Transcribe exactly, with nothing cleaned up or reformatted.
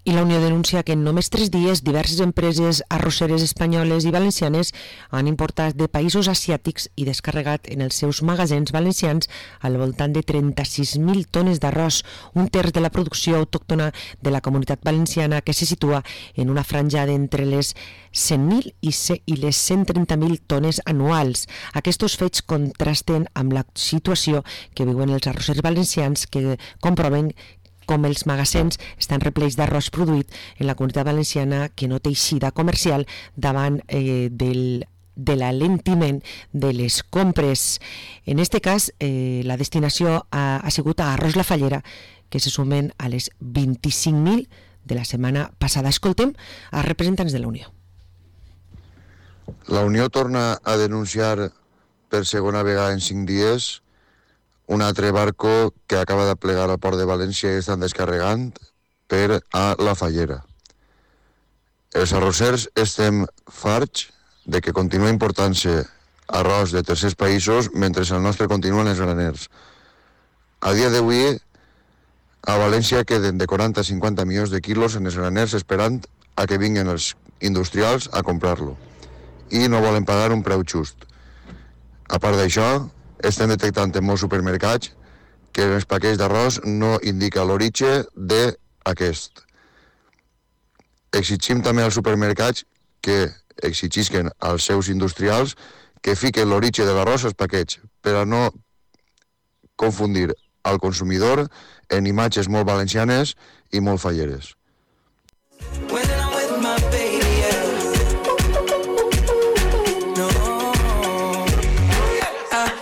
I la Unió denuncia que en només tres dies diverses empreses arrosseres espanyoles i valencianes han importat de països asiàtics i descarregat en els seus magatzems valencians al voltant de trenta-sis mil tones d'arròs, un terç de la producció autòctona de la comunitat valenciana que se situa en una franja d'entre les cent mil i les cent trenta mil tones anuals. Aquests fets contrasten amb la situació que viuen els arrossers valencians, que comproven com els magatzems estan replecs d'arròs produït en la comunitat valenciana, que no té eixida comercial davant eh, del de l'alentiment de les compres. En aquest cas, eh, la destinació ha, ha sigut a Arròs La Fallera, que se sumen a les vint-i-cinc mil de la setmana passada. Escoltem a representants de la Unió. La Unió torna a denunciar per segona vegada en cinc dies un altre barco que acaba de plegar al port de València i estan descarregant per a La Fallera. Els arrossers estem farts de que continua important-se arròs de tercers països mentre el nostre continuen els graners. A dia d'avui, a València queden de quaranta a cinquanta milions de quilos en els graners esperant a que vinguin els industrials a comprar-lo. I no volen pagar un preu just. A part d'això, estem detectant en molts supermercats que en els paquets d'arròs no indica l'origen d'aquest. Exigim també als supermercats que exigisquen als seus industrials que fiquen l'origen de l'arròs als paquets per a no confundir al consumidor en imatges molt valencianes i molt falleres.